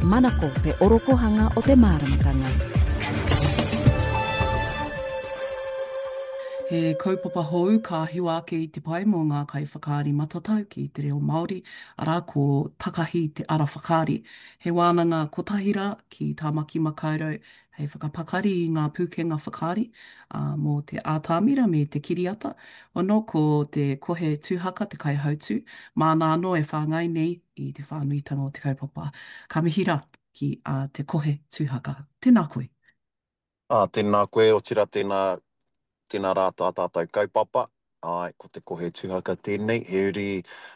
Manako te orokohanga o te māramatanga. He kaupapa hou ka hiwa ake i te pae mō ngā kaiwhakaari matatau ki te reo Māori, arā ko Takahi te Ara Whakaari. He wānanga kotahi rā ki Tāmaki Makaurau hei whakapakari i ngā pūkenga whakaari, ā, mō te ātamira me te kiriata. Ono ko te Kohe Tūhaka te kaihautū, māna anō e whāngai nei i te whānuitanga o te kaupapa. Ka mihi rā ki a Te Kohe Tūhaka. Tēnā koe. Ā, tēnā koe, otirā tēnā, tēnā rā tā tātou kaupapa. Āe, ko Te Kohe Tuhaka tēnei, he uri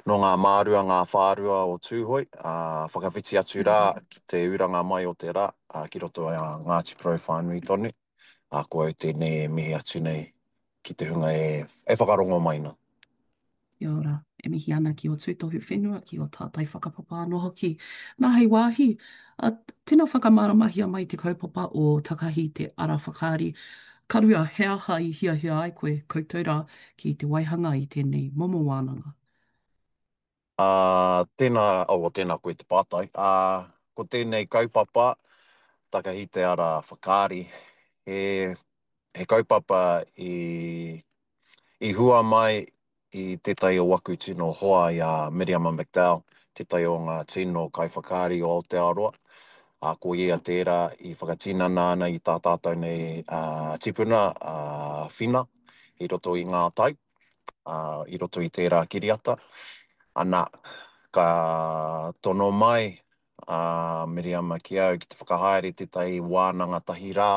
nō ngā mārua, ngā whārua o Tūhoe, ā, whakawhiti atu rā ki te uranga mai o te rā, ā, ki roto i a Ngāti Porou whānui tonu. Ā, ko au tēnei e mihi atu nei ki te hunga e, e whakarongo mai nā. Kia ora. E mihi ana ki ō tūtohu whenua, ki ō tātai whakapapa anō hoki. Nā, hei wāhi, ā, tino whakamāramahia mai te kaupapa o Takahi te Ara Whakaari. Ka rua, he aha i hiahia ai koe, koutou rā, ki te waihanga i tēnei momo wānanga? Ā, tēnā, oh, tēnā koe te pātai. Ā, ko tēnei kaupapa, Takahi te Ara Whakaari, he, he kaupapa i, i hua mai i tētahi o waku tino hoa i a Miriama McDowell, tētahi o ngā tino kaiwhakaari o Aotearoa, ā, ko ia tērā i whakatinana ana i tā tātou nei tipuna, a Whina, i roto i ngā tau, ā, i roto i tērā kiriata. Ana, ka tono mai a Miriama ki au ki te whakahaere tētahi wānanga tahi rā,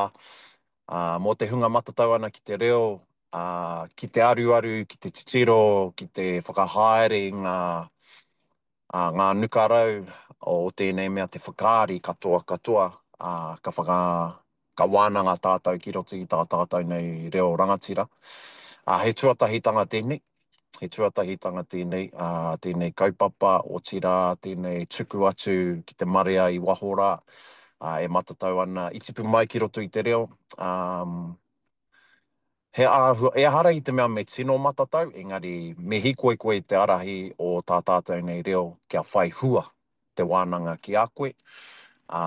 Ā, mō te hunga matatau ana ki te reo, ā, ki te aruaru, ki te titiro, ki te whakahaere i ngā, ā, ngā nukarau o tēnei mea te whakaari katoa katoa, ā, ka whaka, ka wānanga tātou ki roto i tā tātou nei reo rangatira. Ā, he tuatahitanga tēnei. He tuatahitanga tēnei, ā, tēnei kaupapa, otirā, tēnei tuku atu ki te marea i waho rā, ā, e matatau ana, i tipu mai ki roto i te reo, ā, he āhua, ehara i te mea me tino matatau, engari me hīkoi koe i te arahi o tā tātou nei reo kia whai hua te wānanga ki a koe, ā,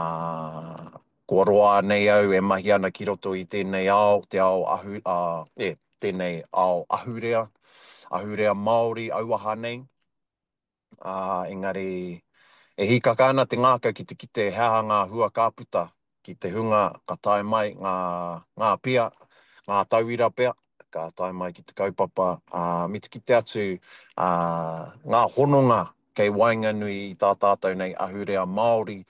kua roa nei au e mahi ana ki roto i tēnei ao, te ao ahu, ā, e, tēnei ao ahurea, ahurea Māori auaha nei, ā, engari e hīkaka ana te ngākau ki te kite he aha ngā hua ka puta ki te hunga ka tae mai ngā, ngā pia, ngā tauira pea, ka tae mai ki te kaupapa, ā, me te kite atu, ā, ngā hononga kei waenganui i tā tātou nei ahurea Māori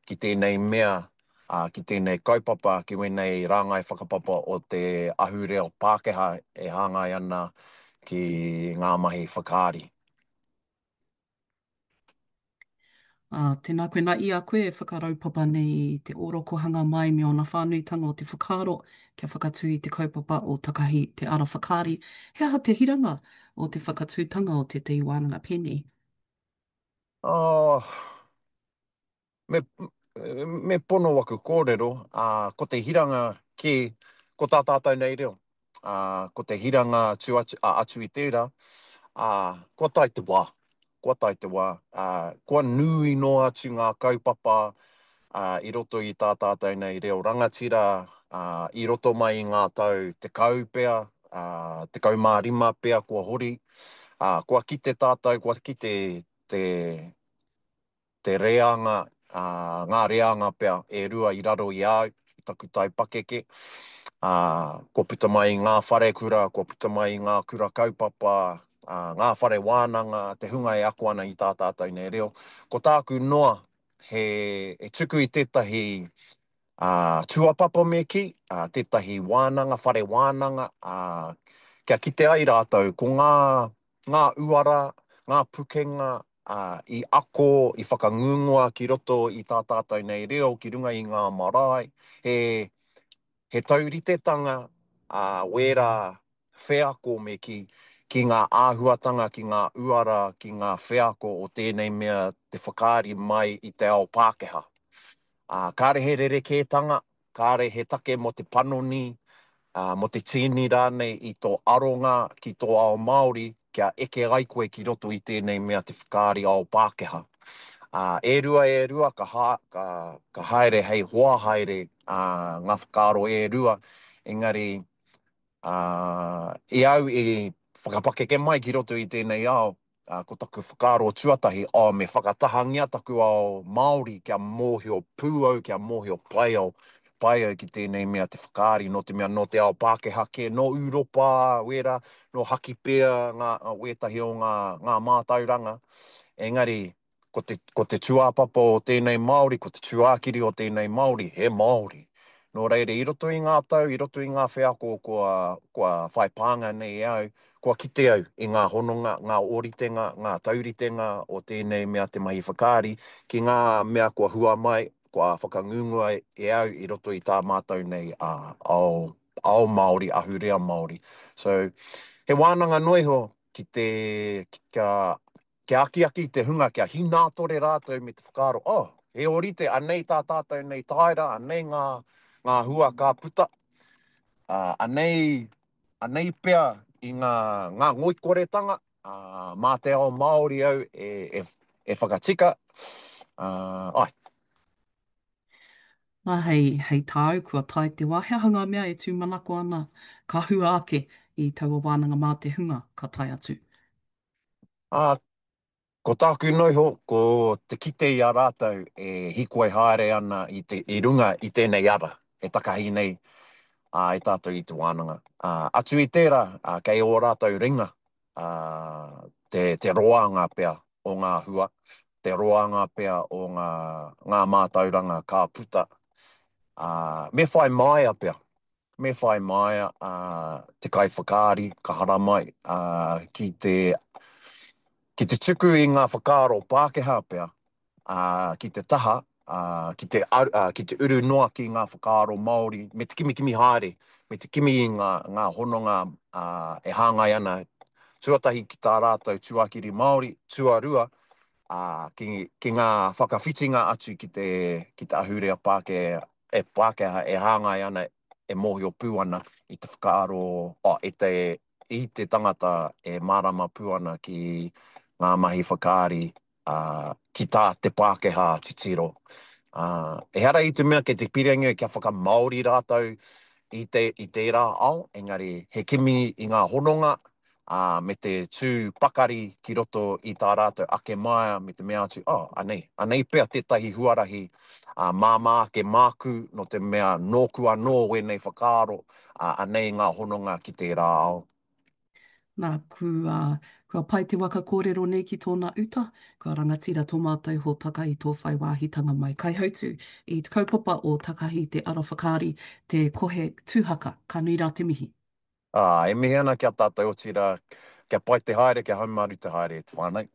ki tēnei mea, ā, ki tēnei kaupapa, ki wēnei rāngai whakapapa o te ahurea Pākehā e hāngai ana ki ngā mahi whakaari. Ā, tēnā koe, nā i a koe e whakaraupapa nei i te ōrokohanga mai me ōna whānuitanga o te whakaaro kia whakatū i te kaupapa o Takahi te Ara Whakaari, he aha te hiranga o te whakatūtanga o tētahi wānanga pēnei? Oh, Me, me pono waku kōrero, ā, ko te hiranga kē, ko tā tātou nei reo. Ā, ko te hiranga atu, atu, ā, atu i tērā, ā, kua tae te wā, kua tae te wā, ā, kua nui noa atu ngā kaupapa, ā, i roto i tā tātou nei reo rangatira, ā, i roto mai i ngā tau 10 pea, ā, 15 pea kua hori, ā, kua kite tātou, kua kite te, te reanga, ā, ngā reanga pea e rua i raro i a au, i taku taipakeke, ā, kua puta mai i ngā wharekura, kua puta mai i ngā kura kaupapa, ā, ngā whare wānanga, te hunga e ako ana i tā tātou nei reo. Ko tāku noa, he, he tuku i tētahi, ā, tūāpapa me kī, ā, tētahi wānanga, whare wānanga, ā, kia kite ai rātou ko ngā, ngā uara, ngā pukenga, ā, i ako, i whakangungua ki roto i tā tātou nei reo ki runga i ngā marae, he, he tauritetanga, ā, wērā wheako me kī, ki ngā āhuatanga, ki ngā uara, ki ngā wheako o tēnei mea te whakaari mai i te ao Pākehā. Ā, kāre he rerekētanga, kāre he take mō te panoni, ā, mō te tīni rānei i tō aronga ki tō ao Māori kia eke ai koe ki roto i tēnei mea te whakaari ao Pākehā. Ā, e rua e rua ka ha, ka, ka haere hei hoa haere ā, ngā whakaaro e rua, engari ā, i au i whakapakeke mai ki roto i tēnei ao, ā, ko taku whakaaro tuatahi, oh, me whakatahangia taku ao Māori kia mōhio pū au, kia mōhio pai au, pai au ki tēnei mea te whakaari, nō te mea nō te ao Pākehā kē, nō Ūropa, wērā, nō Hakipea ngā, wētahi o ngā, ngā mātauranga, engari, ko te, ko te tūāpapa o tēnei Māori, ko te tūākiri o tēnei Māori, he Māori. Nō reira, i roto i ngā tau, i roto i ngā wheako kua, kua whai pānga nei e au, kua kite au i ngā hononga, ngā ōritenga, ngā tauritenga o tēnei mea te mahi whakaari ki ngā mea kua hua mai, kua whakangungua e au i roto i tā mātou nei ao, ao Māori, ahurea Māori. So, he wānanga noa iho ki te, kia, kia akiaki i te hunga kia hinātore rātou me te whakaaro, oh, he ōrite, anei tā tātou nei tāera, anei ngā, ngā hua ka puta, ā, anei, anei pea i ngā, ngā ngoikoretanga, ā, mā te ao Māori au e, e, e whakatika, ā, āe. Nā, hei, hei tāu, kua tae te wā, he aha ngā mea e tūmanako ana ka hua ake i taua wānanga mā te hunga ka tae atu? Ā, ko tāku noa iho, ko te kite i a rātou e hīkoi haere ana i te, i runga i tēnei ara e takahi nei ā, e tātou i te wānanga. Ā, atu i tērā, ā, kei ō rātou ringa, ā, te, te roanga pea o ngā hua, te roanga pea o ngā, ngā mātauranga ka puta. Ā, me whai māia pea, Me whai māia te kaiwhakaari ka haramai ki te ki te tuku i ngā whakaaro Pākehā pea ki te taha, ki te ki te uru noa ki ngā whakaaro Māori me te kimikimi haere, me te kimi i ngā ngā hononga e hāngai ana tuatahi ki tā rātou tuakiri Māori, tuarua ki ki ngā whakawhitinga atu ki te ki te ahurea Pākehā e Pākehā e hāngai ana, e mōhio pū ana i te whakaaro, oh, i te, i te tangata e mārama pū ana ki ngā mahi whakaari, ā, ki tā te Pākehā titiro. Ā, ehara i te mea kei te pirangi kia whakamāori rātou i te, i tērā ao, engari he kimi i ngā hononga, ā, me te tū pakari ki roto i tā rātou ake māia me te mea atu, oh, anei, anei pea tētahi huarahi, ā, māmā ake māku nō te mea nōku anō wēnei whakaaro, ā, anei ngā hononga ki tērā ao. Nā, kua, kua pae te waka kōrero nei ki tōna uta, kua rangatira tō mātou hōtaka i tō whai wāhitanga mai. Kaihautū i te kaupapa o Takahi te Ara Whakaari, te Kohe Tūhaka, ka nui rā te mihi. Ā, e mihi ana ki a tātou, otirā, kia pai te haere, kia haumaru te haere e te whānau.